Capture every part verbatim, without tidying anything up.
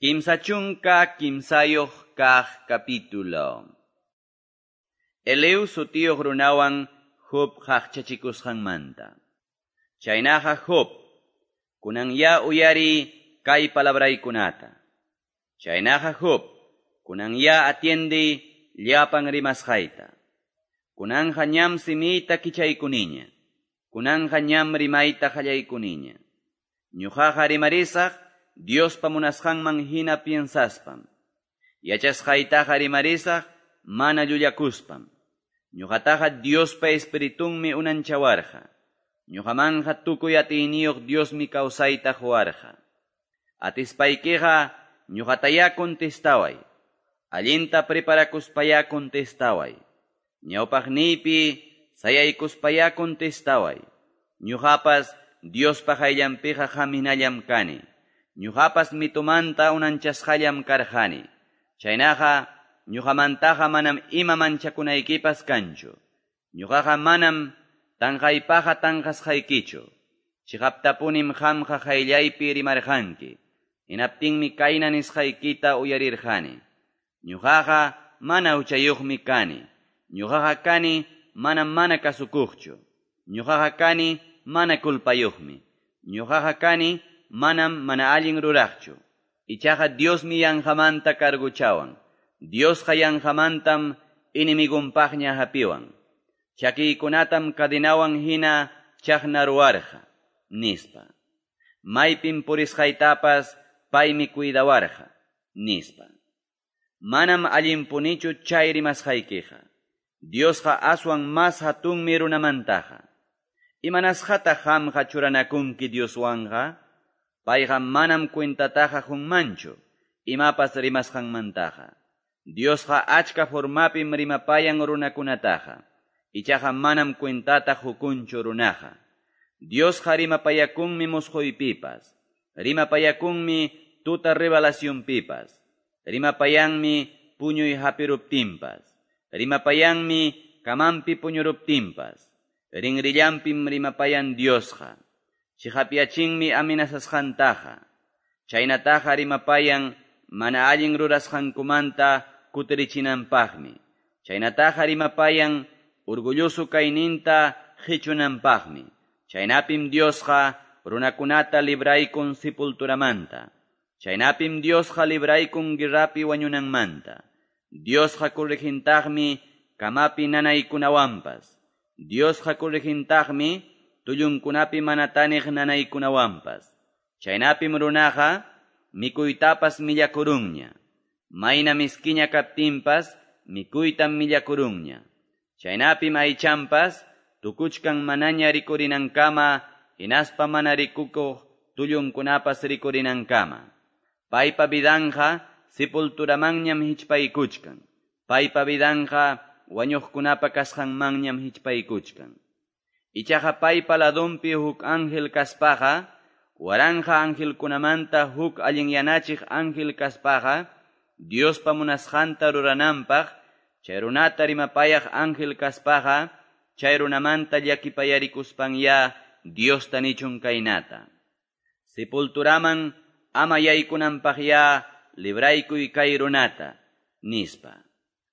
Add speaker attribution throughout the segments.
Speaker 1: Kimsa chunka kimsayuq kaq capítulo. Eliú sutiyuq runawan Job qaqchachikusqanmanta. Chaynaqa Job, kunanya uyari kay palabraykunata. Chaynaqa Job, kunanya atiende llapan rimasqayta. Kunanja ñam simiyta kichaykuniña. Kunanja ñam rimayta qallaykuniña. Ñuqaqa rimarisaq Diospa munasqanman hina piensaspam. Yachasqaytaqa rimarisaq mana llullakuspam. Ñuqataqa Diospa espiritunmi unanchawarqa. Ñuqamanja tukuy atiyniyuq Diosmi kawsayta quwarqa. Atispaykiqa ñuqatayá contestaway. Allinta preparakuspayá contestaway. Ñawpaqniypi sayaykuspayá contestaway. Ñuqapas Diospa qayllanpiqa qaminallam kani. Ñuqapas mitumanta unanchasqallam karqani. Chaynaqa ñuqamantaqa manam ima manchakunaykipas kanchu. Ñuqaqa manam tanqaypaqa tanqasqaykichu. Chiqaptapunim qamqa qayllaypi rimarqanki. Hinaptinmi kayna nisqaykita uyarirqani. Ñuqaqa mana huchayuqmi kani. Ñuqaqa kani manam mana kasukuqchu. Ñuqaqa kani mana culpayuqmi. Ñuqaqa kani manam mana allin ruraqchu. Ichaqa Diosmi yanqamanta carguchawan. Diosqa yanqamantam enemigunpaqña hapiwan. Chakiykunatam cadenawan hina chaqnaruwarqa, nispa. Maypim purisqaytapas paymi cuidawarqa, nispa. Manam allinpunichu chay rimasqaykiqa. Diosqa aswan mas hatunmi runamantaqa. Imanasqataq qamqa churanakunki Dioswanqa? Payqa manam cuentataqa qunmanchu, imapas rimasqanmantaqa. Diosqa achka formapim rimapayan runakunataqa. Ichaqa manam cuentata hukunchu runaqa. Diosqa rimapayakunmi musquypipas. Rimapayakunmi tuta revelacionpipas. Rimapayanmi puñuy hapiruptinpas. Rimapayanmi kamanpi puñuruptinpas. Rinrillampim rimapayan Diosqa. Chiqapyachinmi amenazasqantaqa. Chaynataqa rimapayan mana allin rurasqankumanta kutirichinanpaqmi. Chaynataqa rimapayan orgulloso kayninta qichunanpaqmi. Chaynapim Diosqa runakunata libraykun sepulturamanta. Chaynapim Diosqa libraykun guerrapi wañunanmanta. Diosqa corregintaqmi kamapi nanaykunawanpas. Diosqa corregintaqmi tullunkunapi mana taniq nanaykunawanpas. Chaynapim runaqa mikuytapas millakurunña. Mayna miskiña kaptinpas mikuytam millakurunña. Chaynapim aychanpas tukuchkan manaña rikurinankama hinaspa mana rikukuq tullunkunapas rikurinankama. Paypa vidanja sepulturamanñam hichpaykuchkan. Paypa vidanja wañuqkunapa kasqanmanñam hichpaykuchkan. Ichaqa paypa ladunpi huk ángel kaspaqa, waranja angelkunamanta huk allinyanachiq ángel kaspaqa, Diospa munasqanta rurananpaq, chay runata rimapayaq ángel kaspaqa, chay runamanta llakipayarikuspanya Diosta nichun kaynata. Sepulturaman ama yaykunanpaqya libraykuy kay runata, nispa.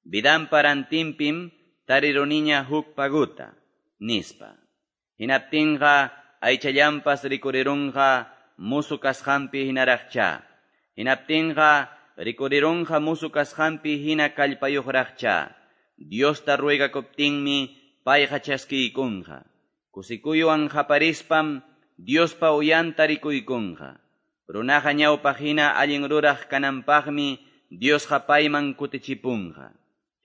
Speaker 1: Vidanpa rantinpim tariruniña huk paguta, nispa. Hinaptinqa aychallanpas rikurirunqa musu kasqanpi hinaraqcha. Hinaptinqa rikurirunqa musu kasqanpi hina kallpayuqraqcha. Diosta ruegakuptinmi payqa chaskiykunqa. Kusikuywan qaparispam Diospa uyanta rikuykunqa. Runaqa ñawpaq hina allin ruraq kananpaqmi Diosqa payman kutichipunqa.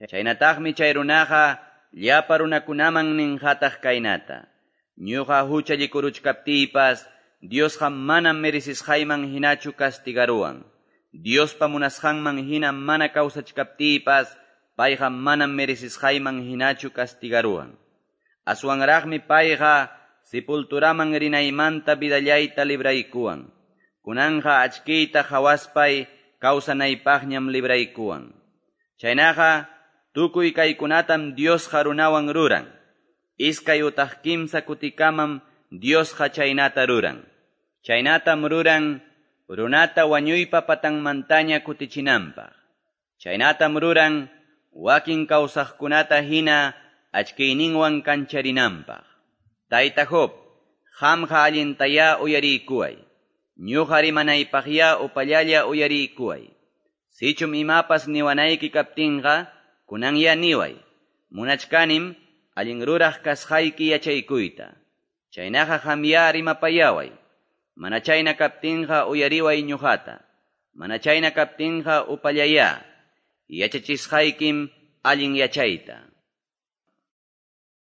Speaker 1: Chaynataqmi chay runaqa llapa runakunaman ninqataq kaynata. Ñuqa huchallikuruchkaptiypas Diosqa manam merecisqayman hinachu castigaruwan. Diospa munasqanman hina mana kawsachkaptiypas payqa manam merecisqayman hinachu castigaruwan. Aswanraqmi payqa sepulturaman rinaymanta vidallayta libraykuwan. Kunanja achkiyta hawaspay kawsanaypaqñam libraykuwan. Chaynaqa tukuy kaykunatam Diosqa runawan ruran. Iskay utaq kimsa kutikamam Diosqa chaynata ruran. Chaynatam ruran runata wañuypa patanmantaña kutichinanpaq. Chaynatam ruran wakin kawsaqkunata hina achkiyninwan kancharinanpaq. Tayta Job, qamqa allintayá uyariykuway. Ñuqa rimanaypaqyá upallalla uyariykuway. Sichum imapas niwanayki kaptinqa, kunanyá niway. Munachkanim allin ruraq kasqayki yachaykuyta. Chaynaqa qamyá rimapayaway. Mana chayna kaptinqa uyariway ñuqata. Mana chayna kaptinqa upallayá. Yachachisqaykim allin yachayta.